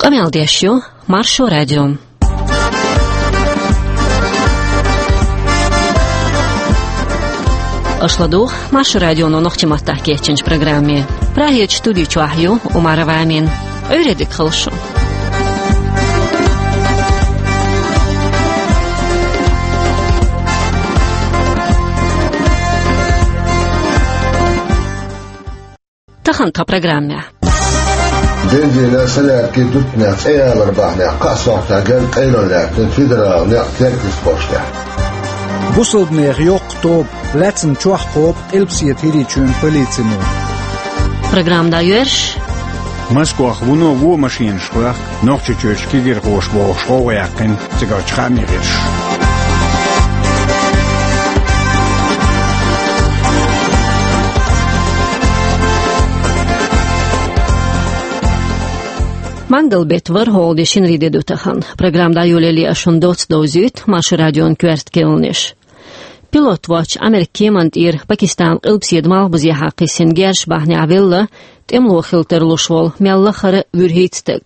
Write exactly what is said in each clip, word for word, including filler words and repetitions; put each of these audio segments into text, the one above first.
Къамел деш ю Маршо радио. Аша ладугӀу Маршо радионо нохчийн маттахь кечйинчу программе. Прагерчу студи чохь ю Умарова Амина. Ӏуьйре дика хуьлда шун. Тахана тхан программехь. Дендина салаьртки дуттанехь цӀе ялар бахьанехь кхаа сохьтехь герга къайлана лаьттина федералан некъ Теркйистан кӀоштехь. Бусалбанех йоккха тоба лаьцна чохь кхобу Къилбаседа ХӀирийчоьнан полицино. Программа дӀайоьрзуш. Москвахь вуно вон машенаш хоьхку, Нохчийчуьрчу кегирхоша бохуш гӀовгӀа яьккхина цигарчу хаамийн гӀирсаша. Мангал-беттан ворхӀалгӀа де, шинарин де ду тахана. Программа дӀайолале ас шуна доцца довзуьйту Маршо радион коьрта кхаьънаш. Пилот воцчу Америкин кеманна тӀера Пакистанан къилбаседа малхбузехьа кхиссина герзаш бахьанехь велла тӀемало хила тарлуш волу мел лахара вуьрхӀитта стаг.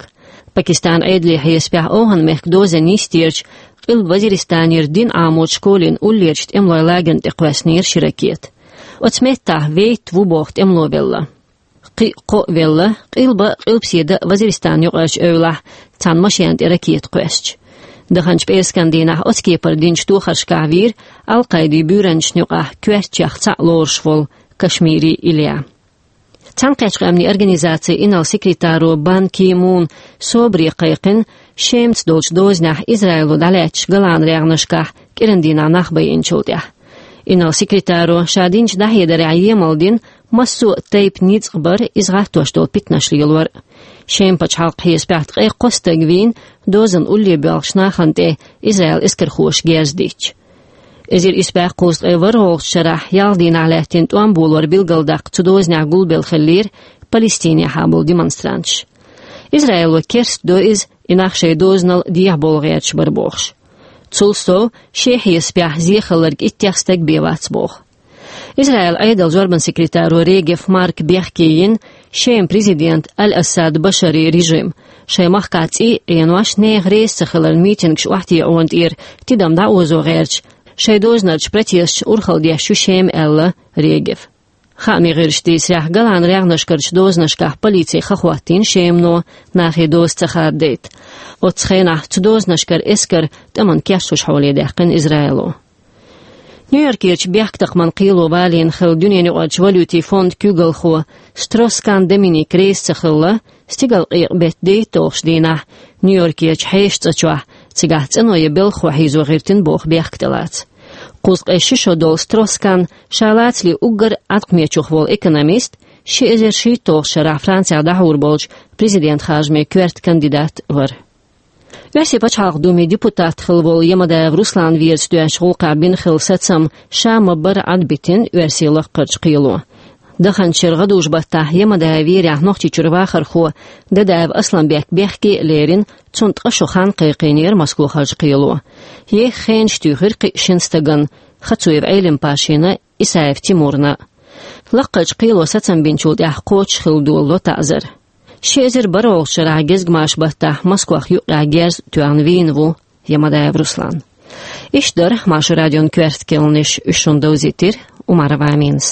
Пакистанан Ӏедалан хьесапехь, ОвхӀан-мехкан дозанна йистерчу Къилба Вазиристанера дин Ӏамочу школин уллерчу тӀемалойн лагерна тӀе кхоьссинера ши ракета. Оцу меттехь вейтта ву боху тӀемало велла. Кхин а кхоъ велла Къилба, Къилбаседа, Вазиристан юкъарчу эвлахь цхьана машенна тӀе ракета кхоьссича. Даханчу пӀераскан дийнахь оцу кепара динчу тохаршкахь вийра Ал-Къайдин буьйранчашна юкъахь коьртачех цхьаъ лоруш волу Кашмири Илья. Цхьаьнакхеттачу Къаьмнийн Организацин инарла секретаро Бан Ки Муна собаре кхайкхина Шемаца долчу дозанехь Израило дӀалаьцначу ГолӀан-регӀнашкахь кӀиран дийнахь нах байинчул тӀаьхьа. Инарла секретаро ша динчу дӀахьедарехь емал дина массо а тайпа ницкъ бар, иза гӀаттош долу питанаш лелор. Шеман пачхьалкхан хьесапехь ткъе кхо стаг вийна дозанна улле боьлхучу нахана тӀе Израилан эскархоша герз дитча. Эзар исс бӀе кхузткъе ворхӀалгӀачу шарахь ялх дийнахь лаьттина тӀом болор билгалдаккха цу дозанехь гулбелла хиллера Палестинехьа болу демонстранташ. Израило керстадо иза, и нах шайн дозанал дехьабовла гӀерташ бара бохуш. Цул сов, шен хьесапехь, зен хилларг иттех стаг бен вац боху. Израилан Ӏедалан зорбанан секретаро Регев Марка бехке йина Шеман президент Аль-Асад Башаран режим, шайн махкахь цӀий а Ӏенош, нехан реза ца хиларна митингаш охьатаӀо тӀера тидам дӀаозо гӀерташ, шайн дозанарчу протесташна урхалла деш ю Шема, аьлла Регева. Хаамийн гӀирсаша дийцарехь, ГолӀан-регӀнашкарчу дозанашкахь полици хан хӀоттийна Шемано, нахе доза ца хададайта. Оццу хенахь цу дозанашкара эскар тӀамна кечлуш хьоле даьккхина Израило. Нью-Йоркерчу бехктакхаман кхело валийна хилла дуьненаюкъарчу валютин фондан куьйгалхо Строс-Кан Доминик реза ца хилла, стигалкъекъа беттан дейтталгӀачу дийнахь Нью-Йоркерчу хьешан цӀа чохь цигахь цӀено я белхахо хьийзо гӀиртина боху бехк тӀелаца. Кхузткъе ши шо долу Строс-Кан ша лацале уггар Ӏаткъамечух волу экономист, ши эзар шийтталгӀачу шарахь Францехь дӀахьур болчу президентан харжамийн коьрта кандидат вара. Оьрсийн пачхьалкхан Думин депутат хилла волу Ямадаев Руслан верца доьзначу гӀуллакхехь бина хилла сацам ша ма-барра Ӏад битина оьрсийн лаккхарчу кхело. Даханчу шеран гӀадужу-баттахь Ямадаев верехь Нохчийчуьра вахархо Дадаев Асламбек бехке а лерина, цунна ткъа шо хан кхайкхийнера Москвахарчу кхело. Еха хенаш туьйхира кхин а шина стагана: Хацуев Ӏелим-Пашина, Исаев Тимурна. Лаккхарчу кхело сацам бинчул тӀаьхьа кхочуш хилла долало таӀзар. Ши эзар бархӀалгӀачу шарахь гезгмашан-баттахь Москвах юккъехь герз а тоьхна вийна ву Ямадаев Руслан. Иштта дара Маршо радион коьрта кхаьънаш, уьш шуна довзийтира Умарова Аминас.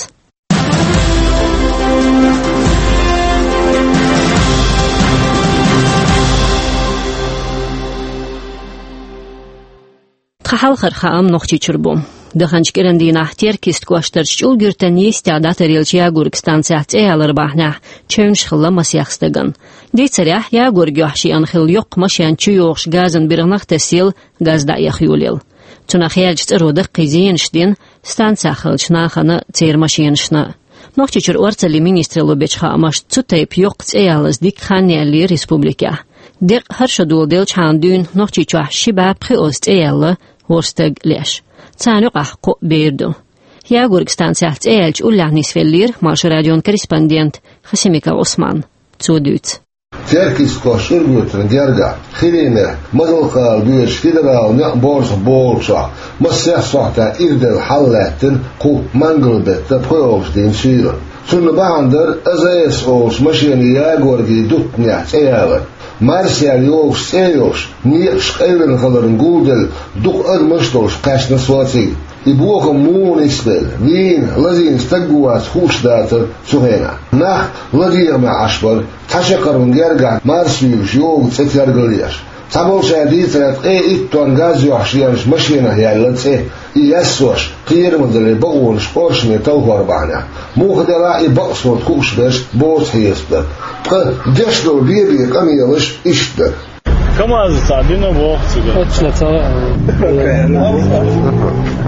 Тхан хьалхара хаам Нохчийчуьра бу. Даханчу кӀиран дийнахь Теркйистан кӀоштарчу ЧӀулга-Юьртан йистехь дӀатаръеллачу ягорган станцехь цӀе ялар бахьанехь чевнаш хилла масех стагана. Дийцарехь, ягорган юьхь шиъна хилла йоккха машен чуйогӀуш газан биргӀанах тесъелла, газ дӀаэха йолаелла. Цунах яьллачу цӀаро даккхий зенаш дина станцехь хиллачу нахана а, церан машенашна а. Нохчийчуьра орцаллин министралло бечу хаамашца, цу тайпа йоккха цӀе ялаза дикка хан яьллера республикехь. Декъа хӀара шо доладелчхьана дуьйна Нохчийчохь ши бӀе пхиозза цӀе яьлла ворхӀ стаг леш. Царна юкъахь кхоъ бер ду. Ягорган станцехь цӀе яьлча уллехь нисвеллера Маршо радион корреспондент Хасимиков Ӏусман. Цо дуьйцу. Теркйистан кӀоштан ЧӀулга-Юьртана гергахь, ХӀирийн мехкан Мазалкъала боьдучу федералан некъан борзах болчохь, массех сохьтехь ирделла хьал лаьттина кху мангал-беттан пхоьалгӀачу дийнан суьйранна. Цунна бахьана дара АЗС олучу машенийн ягорган дуттанехь цӀе ялар. Марсаьр йогуш цӀе йолуш, некъаш къевлина хиларна гулделла дукха адамаш а долуш кхаьчна со цига. И бохам муха нисделла, вийна, лазийна стаг ву-вац хууш дацара цу хенахь. Нах ладегӀамехь Ӏаш бара, цхьа шакхарма гергахь Марс юьйлуш йогу цӀе тергал еш. Цхьаболчара дийцарехь, ткъе итт тонн газ йохьуш еанчу машенах яьлла цӀе. И яьссош, кхерамазаллин бакъонаш къоршаме талхор бахьанехь, муха делахь а и бакъ схьа хууш берш боцу хьесап дара. Ткъа деш долу бен-бен къамелаш иштта дара. КамАЗ цхьа дина боху цига. Точно, ца-,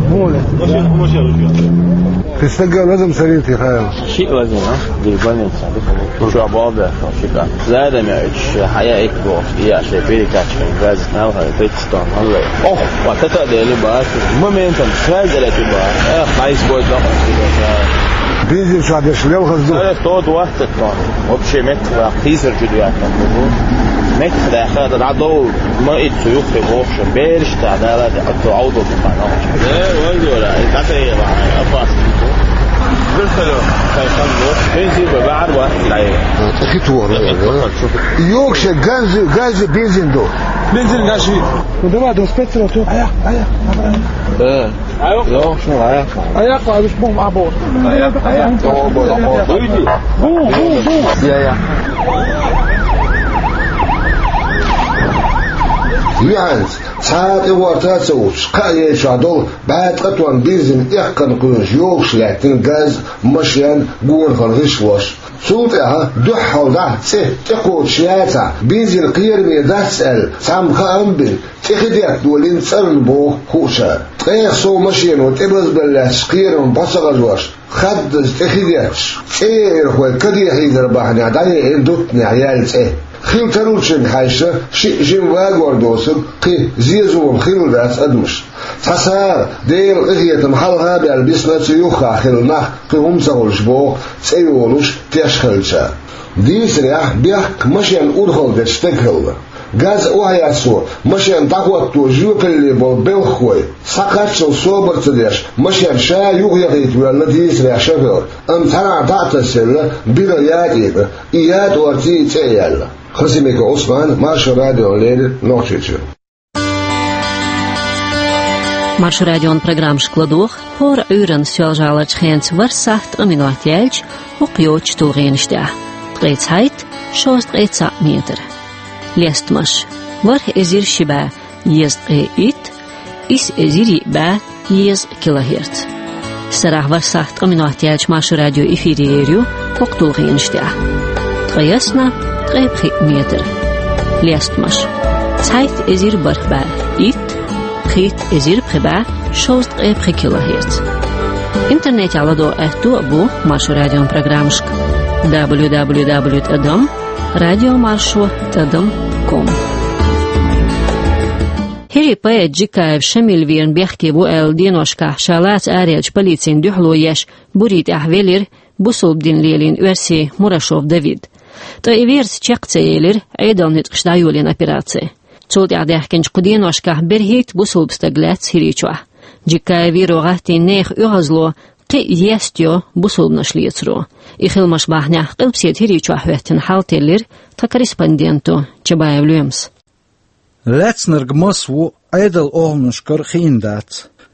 Воля. Машина, машина. Ты стага лазам советы, Хайл. Шиъ лазина, дий больница, дика бу. Чохь болу баьхна шика. Задаме уьш хьаяа икка бохуш, и я шайн перекачка, газа налхара, тридцать тонн хьаллай. Ох, ва тата а дели бац, моментом сразу лети бац. Эх, хайс бой дохуш, шика. Бензин чохь деш лелхаз ду. Сара сто двадцать тонн. Вообще меттах ваьккха, хийсар чу доьттина бу. Меттах даьхна, дан дӀадовла, ма итт цу юххе бохуш, бераш тӀе дала, де, ато Ӏовдал бу хан. Э, вай гора, и дӀатайе ва, опасно бу. Вертолёт, кай хан бу. Бензин бу, бахьар бу, лай. ТӀе хи тухур, э? Йокше, газы, газы, бензин ду. Бензин, газы. Ну давай, двадцать пять сразу. Ая, ая, ая. Э. Йо, шун, ая. Ая, ая, бу, бу, бу. Ая, ая. Бу, бу, бу. Бу, бу, бу. Я, я. Юьхьанца, цхьа а тӀе гӀорта а ца уьттуш, кхаа яй чохь долу бӀе ткъа тонн бензин эккхана кхуьнаш йогуш лаьттина газ, машен, гонахара гӀишлош. Цул тӀаьхьа дуьххьал дӀа цӀе тӀекхочуш яцахь, бензин кхераме дац аьлла, цхьамма хаам а бина, тӀе хи детта долийна цӀарна боху хуучара. Ткъех сов машено тӀебазбелла лаьтташ кхерам бӀо ца хьажош, хаддаза тӀе хи детташ, цӀе яархой каде хьийзар бахьанехь дӀаеана дуттанехь яьлла цӀе. Хила тарлучуьнга хьаьжча, шиъ жима вагор доцург кхин зен-зулам хилла дац адамашна. Цхьа сагӀа, Делан къинхетам хьалха а баьлла, бисна цу юххехь хилла нах кхин хӀума ца хуьлуш боху цӀе йолуш теш хилча. Дийцарехь, бехк машен урхалла дечу стеган хилла. Газ охьаяссо, машен дӀахӀотто жоьпалле болу белхахой, схьакхаччалц собар ца деш, машен ша юхаяхийта воьлла дийцарехь шофер, амма цхьанхьа дӀа а тасаелла, бира ятӀе а, и ятӀорций цӀе а яьлла. Хасимиков Ӏусман, Маршо радиона леррина, Нохчийчуьра. Маршо радион программашка ладогӀа хӀора Ӏуьйранна Соьлжа-ГӀаларчу хенца ворхӀ сахьт ткъа минот яьлча хӀокху йоцучу тулгӀенаш тӀехь: ткъе цхьайтта, шовзткъе цхьаъ метр. Лестамаш: ворхӀ эзар ши бӀе дезткъе итт, исс эзар йиъ бӀе дезткъа килогерц. Сарахь ворхӀ сахьт ткъа минот яьлча Маршо радио эфире ер ю хӀокху тулгӀенаш тӀехь: ткъе ялх, ткъе пхиъ метр. Лестамаш: цхьайтта эзар бархӀ бӀе итт, пхийтта эзар пхи бӀе шовзткъе пхи килогерц. Интернетехь ладогӀа аьтто а бу Маршо радион программашка: дабл ю дабл ю дабл ю тӀадам радиомаршо тӀадам ком. ХӀирийн поэт Джиккаев Шамиль верна бехке ву аьлла, деношкахь ша лаца араяьлча полицина дуьхьало еш, бурийн тӀехь велира бусалба дин лелийна оьрси Мурашов Давид. Ткъа и верца чекх ца елира Ӏедалан ницкъаша дӀайолийна операци. Цул тӀаьхьа даьхкинчу кху деношкахь берхӀитта бусалба стаг лаьцна ХӀирийчохь. Джиккаев веро гӀаттийна нехан оьгӀазло кхин а естайо бусалбанаш лецаро. И хиламаш бахьанехь Къилбаседа ХӀирийчохь хӀоьттина хьал теллира тхан корреспонденто Чабаев Лоьмас. Лаьцнарг маса ву Ӏедалан охӀланашкара хиъна дац.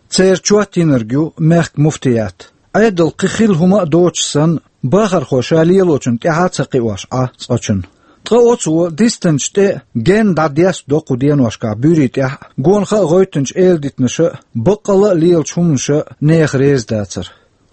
Церан чот йинарг ю мехкан муфтият. Ӏедалан кхин хилла хӀума а доцуш санна, бахархо ша лелочунна тӀаьхьа а ца кхиош Ӏа цкъачунна. Ткъа оцо дистанчу тӀе генна дӀадестадо кху деношкахь буьйрийн тӀехь а, гонах а гӀевттинчу эладитанаша а, баккъалла а лелачу хӀуманаша а нехан реза дацар.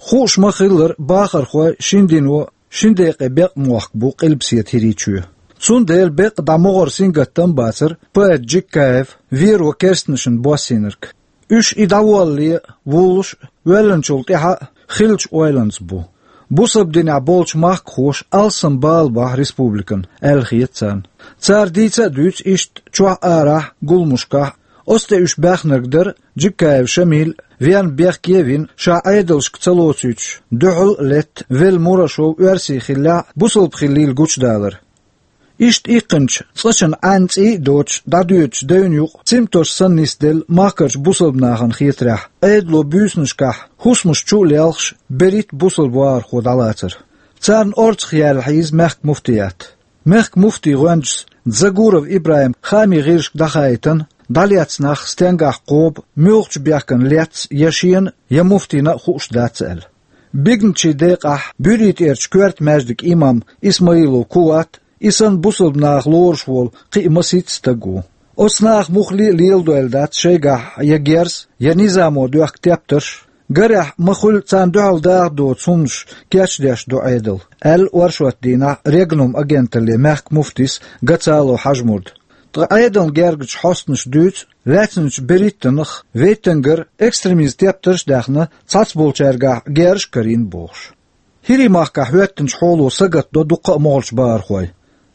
Хууш ма-хиллара, бахархой шина дино шина декъе бекъа мохк бу Къилбаседа ХӀирийчоь. Цундела бекъа дӀа могӀара сингаттам а бацара поэт Джиккаев веро керстанашна боссийнарг. Уьш и дӀаволлале а, вуллуш а, воьллинчул тӀаьхьа а хиллачу ойланца бу. Бусалба динехь болчу махкахоша алсам бала бахьа республикана, аьлла хета царна. Цара дийца а дуьйцу иштта чохь а, арахь а, гуламашкахь а. Оцу тӀе уьш баьхнарг дара Джиккаев Шамиль, вен бехке а вина, ша Ӏедалшка ца лоцуьйтуш, дуьхьал а летта, велла Мурашов оьрси хиллехь а, бусалба хиллийла гучудалар. Иштта иккхинчу цкъачунна Ӏаьнан цӀий а доцуш, дӀадоьдучу девнан юкъа цамтош санна нисделла махкарчу бусалба нахана хетарехь, Ӏедало буьйсанашкахь хӀусамаш чу а лелхаш, берхӀитта бусалба вахархо дӀалацара. Царна орцах яьлла хьийза мехкан муфтият. Мехкан муфтин гӀоьнчас Дзагуров ИбрахӀима хаамийн гӀирсашка дӀахаийтина, дӀалецна нах стенгахь кхоба, муьлхачу бехкана лецна я шена, я муфтийна а хууш дац аьлла. Биганачийн декъахь Буьрий тӀерачу коьрта маьждиган имам Исмаилов Куват, и санна бусалба нах лоруш волу кхин а масийтта стаг ву. Оцу наха муххале а леладойла дац шайгахь я герз, я низамо доьхку тептарш, гарехь, ма-хуьллу, царна дуьхьал даха доцу хӀуманаш кечдеш ду Ӏедал, аьлла оршот дийнахь Регнум агенталле мехкан муфтис Гацалов Хьажмурда. Ткъа Ӏедална гергарчу хьостанаша дуьйцу, лаьцначу берхӀиттаннах вейтангара экстремизман тептарш а даьхна, цхьацболчаьргахь герзаш а карийна бохуш. ХӀирийн махкахь хӀоьттинчу хьоло сагатдо дуккха а могӀарчу бахархой.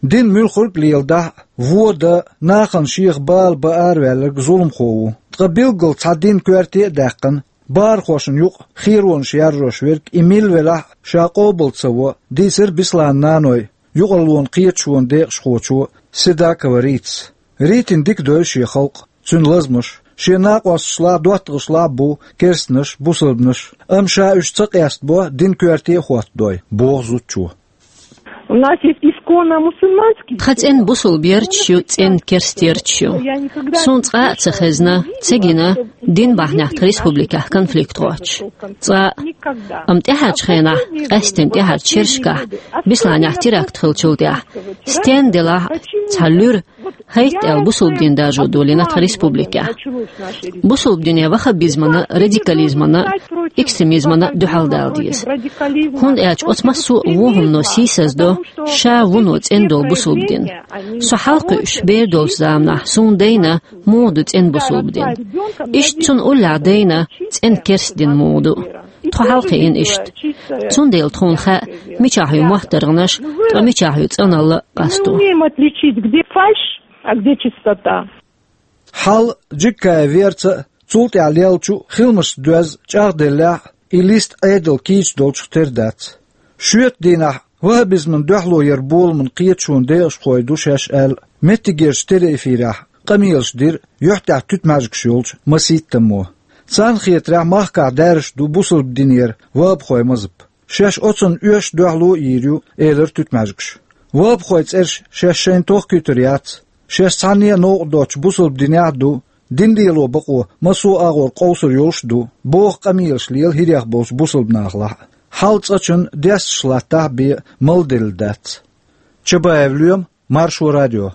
Дин муьлхарг а леладахь а, вон дан, нахана шех бала бан араваьлларг зуламхо ву. Ткъа билггал цхьа динан коьрте а даьккхина, бахархошна юкъа херонаш яржош верг, и милла велахь а, ша къобал ца во, дийцира Бесланан наной, юкъараллин кхеташонан декъашхочо Седакова Ритас. Ритина дика девза шен халкъ, цуьнан лазамаш. Шен накъосташлахь а, доттагӀашлахь а бу керстанаш а, бусалбанаш а, амма ша уьш ца къестабо, динан коьрте а хӀоттадой, боху зудчо. У нас есть исконно мусульманский. Тхан цӀена бусалба ярташ ю, цӀена керста ярташ ю. Суна цкъа а ца хезна, ца гина дин бахьанехь тхан республикехь конфликт гӀоттуш. Цкъа а. Амма тӀаьхьарчу хенахь, къаьсттина тӀаьхьарчу шерашкахь, Бесланехь теракт хиллачул тӀаьхьа, стенна делахь а, цхьа луьра, хӀайтта аьлла, бусалба дин даржо долийна тхан республикехь. Бусалба дине ваххабизмана, радикализмана, экстремизмана дуьхьал дала деза. ХӀунда аьлча оцу массо а вон хӀумано сийсаздо ша вуно цӀена долу бусалба дин. Со хьалакхуьуш бер долчу заманахь суна дайна муха ду цӀена бусалба дин. Иштта цунна уллехь дайна цӀена керста дин муха ду. Тхо хьалакхиийна иштта. Цундела тхуна хаьа, мичахь ю моттаргӀанаш, ткъа мичахь ю цӀаналла а, къасто. Мы умеем отличить, где фальшь, а где чистота. Хьал Джиккая верца а, цул тӀаьхьа леллачу а хиламашца доьзна чӀагӀделлехь а, и листа Ӏедал кийча долчух тера дац. Шоьтан дийнахь ваххабизмана дуьхьало яран боламан кхеташонан декъашхой ду шаьш аьлла, меттигерчу телеэфирехь къамелаш дира юьхь тӀехь туьтмаьжгаш йолчу масийттаммо. Царна хетарехь, махкахь даьржаш ду бусалба динера ваххабхойн мазхӀаб. Шаьш оцунна оьшуш дуьхьало а йийр ю, элира туьтмаьжгаша. Ваххабхойн цӀераш шаьш шайна тохкуьйтур яц. Шаьш цхьанне а новкъа доцучу бусалба динехь а ду, дин лело бакъо массо а агӀор къовсур йолуш а ду, боху къамелаш лела хӀирех болчу бусалба нахалахь а. Хьал цӀачунна десташ латтахь а бен малделла дац. Чабаев Лоьма, Маршо радио.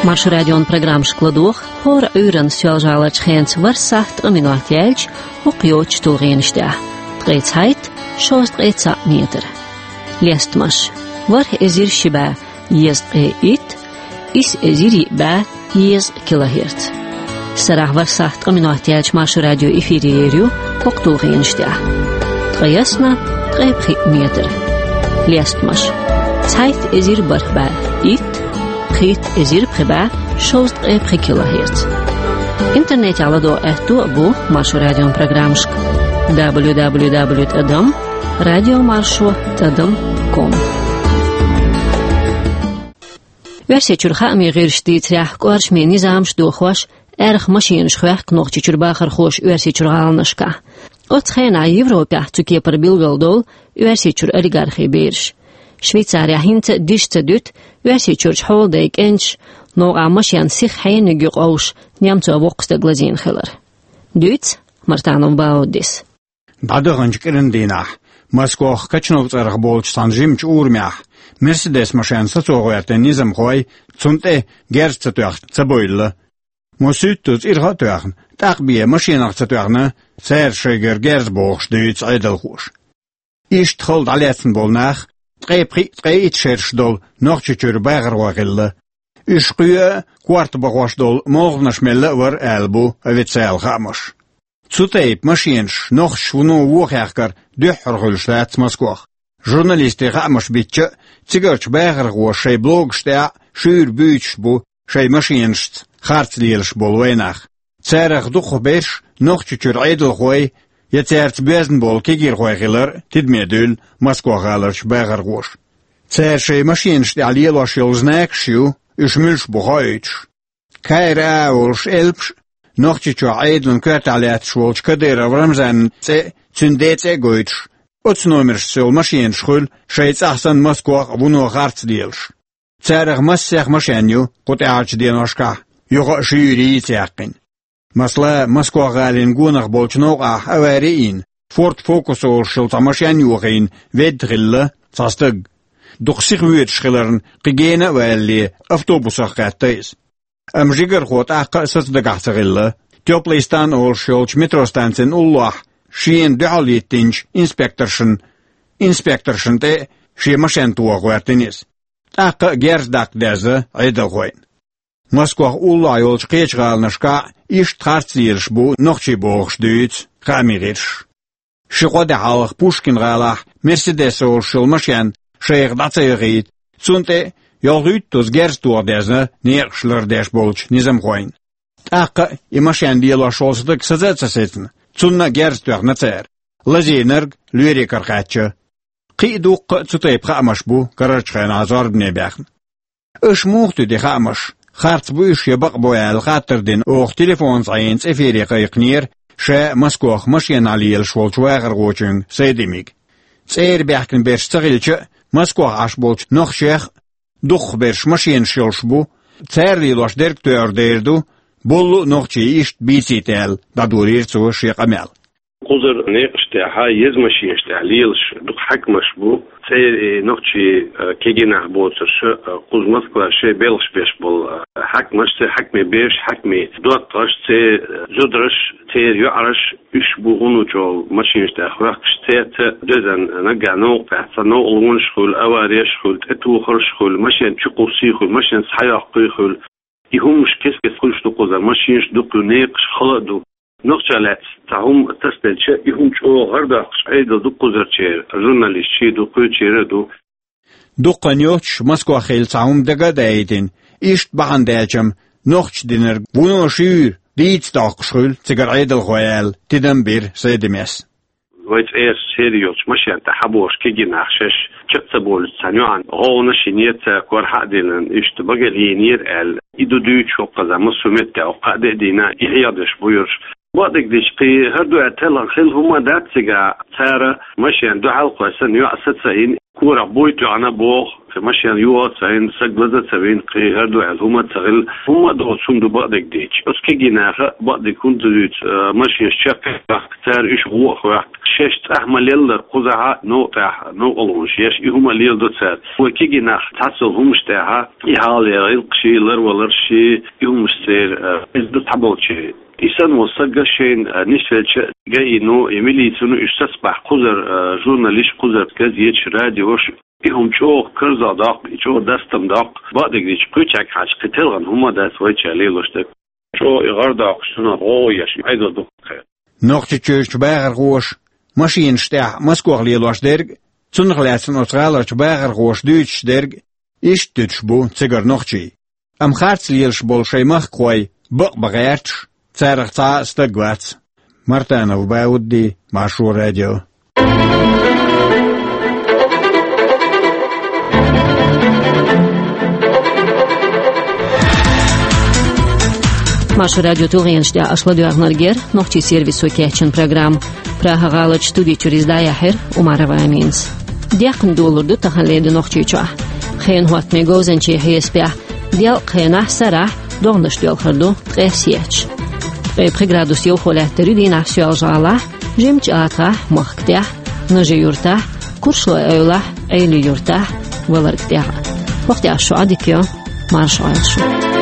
Маршо радион программашка ладогӀа хӀора Ӏуьйранна Соьлжа-ГӀаларчу хенаца ворхӀ сахьт ткъа минот яьлча хӀокху йоцучу тулгӀенаш тӀехь: ткъе цхьайтта, шовзткъе цхьаъ метр. Лестамаш: ворхӀ эзар ши бӀе езткъе итт, исс эзар йиъ бӀе езткъа килогерц. Сарахь ворхӀ сахьт ткъа минот яьлча Маршо радио эфире ер ю хӀокху тулгӀенаш тӀехь: ткъе ялх, ткъе пхиъ метр. Лестамаш: цхьайтта эзар бархӀ бӀе итт, пхийтта эзар пхи бӀе шовзткъе пхи килогерц. Интернетехь ладогӀа аьтто а бу Маршо радион программашка: дабл ю дабл ю дабл ю тӀадам радиомаршо тӀадам ком. Оьрсийчуьра хаамийн гӀирсаша дийцарехь, кӀоршаме низамаш дохош, аьрха машенаш хоьхку Нохчийчуьра бахархоша Оьрсийчуьра гӀаланашкахь. Оцу хенахь Европехь цу кепара билгалдолу Оьрсийчуьра олигархийн бераш. Швейцарехь хӀинца а диш ца дуьту Оьрсийчуьрчу хьолдайн кӀенташа новкъахь машен сиха хьениг юкъа овш немцо воккха стаг лазийна хилар. Дуьйцу Мартанов Баудис. ДӀадаханчу кӀиран дийнахь Москох Качнов цӀарах болчу цхьана жимачу урамехь Мерседес машен сацо гӀоьртина низамхой цунна тӀе герз ца тоьхна ца бевлла. Масийтта цӀерах а тоьхна, тӀаккха бен машенах ца тоьхна, цара шайгара герз бохуш дуьйцу Ӏедалхоша. Иштта хала дӀалецна болу нах ткъе пхиъ, ткъе итт шераш долу Нохчийчуьра бахархой хилла. Уьш кхоъ а, корта бахош долу молханаш мелла а вара аьлла бу официалан хаамаш. Цу тайпа машенаш нохчаша вуно вон хехкар дуьххьара хуьлуш лаьцна Москох. Журналистийн хаамаш бичча а, цигарчу бахархоша шайн блогаш тӀехь а шуьйра буьйцуш бу шайн машенашца харц лелаш болу вайнах. Царах дукхахберш Нохчийчуьра Ӏедалхой я цаьрца боьзна болу кегийрхой хилар тидаме дуьйлу Москох-гӀаларчу бахархоша. Цара шайн машенаш тӀехь лелош йолу знакаш ю, уьш муьлш бу хоуьйтуш. Кайра а волуш элпаш а, Нохчийчохь Ӏедалан коьртехь лаьтташ волчу Кадыров Рамзанан цӀе а, цуьнан ден цӀе а гойтуш, Оцу номерашца йолу машенаш хуьлу шайн цӀахь санна Москох а, вуно а харц лелаш. Царах массех машен ю кху тӀаьхьарчу деношкахь, юха а шуьйра йийца яьккхина. Масала, Москох гӀалин гонах болчу новкъахь авари йина, Форд Фокус олуш йолу цхьа машен йохийна ведда хилла цхьа стаг. Дукха сиха воьдуш хиларна, кхин гена а валале, автобусах кхетта иза. Амма жигархо тӀаккха а саца дагахь ца хилла. Тёплый стан олуш йолчу метростанцин уллохь шена дуьхьал йиттинчу инспекторшна, инспекторшна тӀе а шен машен тоха гӀоьртина иза. ТӀаккха а герз даккха дезна Ӏедалхойн. Москох уллохь йолчу кхечу гӀаланашкахь а иштта харц лелаш бу нохчий бохуш дуьйцу хаамийн гӀирсаша. Ши-кхо де хьалха Пушкин-гӀалахь «Мерседес» олуш йолу машен шайх дӀа ца яхийта, цунна тӀе йолхуьйттазза герз тоха дезна некъаш лардеш болчу низамхойн. ТӀаккха а и машен лелош волу стаг саца а ца сецна, цунна а герз тоьхна цара. Лазийнарг лоьрекара кхаьчча. Кхин а дуккха а цу тайпа хаамаш бу карарчу хенахь зорбане баьхна. Аша муха туьду и хаамаш? Харц бу уьш я бакъ бу аьлла хаттар дина оха телефонца Ӏийна цӀе эфире кхайкхинера ша Москох машенахь лелаш волчу вахархочуьнга Сайдимига. ЦӀера баьхкина берш ца хилча а, Москох Ӏаш болчу нохчех а, дукхахберш машенаш йолуш бу, цара лелош дерг тоьар дер ду, болу а нохчий иштта бийцийта аьлла, дӀадолийра цо шен къамел. Кхузара некъаш тӀехь, еза машенаш тӀехь лелаш дукха хьаькамаш бу. ЦӀера и нохчий, а, кегийнах боцурш, а, кхуза Москва шайн белхаш беш болу, а, хьаькамаш, церан хьаькамийн бераш, хьаькамийн доттагӀаш, церан зудараш, церан йоӀараш, уьш бу хӀун чӀогӀа машенаш тӀехь хоьхкуш, цаьрца доьзна наггахь новкъа тӀехь цхьа новкъалонаш хуьлу, авареш хуьлу, тӀетухарш хуьлу, машен чукхуссий хуьлу, машен схьайоккхий хуьлу. И хӀуманаш кест-кеста хуьлуш ду кхузара, машенаш дукха ю, некъаш хала а ду. Нохча лаьцна цхьа хӀума тасделча, и хӀума чӀогӀа гӀардоккхуш Ӏедал ду кхузарчеран, журналисташ ду, кхечеран а ду. Дуккха а нохчаша Москох хилла цхьа хӀума дага а даийтина, иштта бахьана даьлча-м, нохчаша динарг вуно шуьйра дийца доккхуш хуьлу цигара Ӏедалхой аьлла, тидам бира Сайдимис. Вай цӀера сера йолчу машен тӀехь хьабогӀуш кегийнах шаьш чекх ца болуьйтуш цхьана юьхьанца гӀовгӀанаш йинера, цара корахьа а диллина, иштта багал йийнера аьлла. И ду дуьйцуш хӀокхузахь массо а меттехь, хӀокху кхаа де а дийна, и хьехадеш бу уьш. Бакъдерг дийцича, кхин хӀара дуьхьал телхина хилла хӀума а дац цигахь, цара машен дуьхьал кхоьссина, йоӀ са ца йина, корах буй тоьхна боху, кхин машен йоха а ца йина, саг лаза а ца вина, кхин хӀара дуьхьал хӀума а ца хилла, хӀумма а доцу хӀума ду бакъдерг дийцича. Оцу кегийнаха бакъдерг хӀунда ца дуьйцу, а, машенаш чекх а баьхка, цара уьш гӀо а хоьхку. Шаьш цӀахь ма-леллара кхузахь а новкъа тӀехь новкъалонаш еш, и хӀума а леладо цара. Вай кегийнах цхьаццалла хӀуманаш тӀехь, и хьалха гӀиллакхаш, ларваларш, и хӀуманаш церан, а, иза ду цхьаболчеран. И санна волу саг шайна, а, нисвелча, ГАИ-но, и милицано уьш сацабахь кхузара, а, журналисташ, кхузара газеташ, радиош, и хӀума чӀогӀа карзахдоккху, и чӀогӀа дастам доккху, бакъдерг дийцича, кхечаьрга хьаьжча кхин телхина хӀума а дац вайчара лелош дерг. ЧӀогӀа и гӀардоккхуш, цунах гӀовгӀа еш, Ӏедал дукха кхайкха. Нохчийчуьрчу бахархоша машенаш тӀехь Москох лелош дерг, цунах лаьцна оцу гӀаларчу бахархоша дуьйцуш дерг, иштта дуьтуш бу цигара нохчий. Амма харц лелаш болу шайн махкахой бакъ бан гӀерташ, царах цхьа а стаг вац. Мартанов Баудди, Маршо радио. Маршо радио тулгӀенаш тӀехь аша ладоьгӀнарг яра нохчийн сервисо кечйина программа. Прага-гӀаларчу студи чуьра иза дӀаяьхьира Умарова Аминас. Декхна долалур ду таханлера ди Нохчийчохь. Хенан хӀоттамийн говзанчийн хьесапехь, делкъа хенахь, сарахь догӀанаш доьлхур ду ткъе сехьа. Ткъе пхи градус йовхо лаьттар ю дийнахь Соьлжа-ГӀалахь, Жимачу АтагӀахь, Махка тӀехь, Нажи-Юьртахь, Куршлой-Эвлахь, Ӏели-Юьртахь, Валарга тӀехь. ХӀокху тӀехь шун Ӏадика йо, марша Ӏойла шу.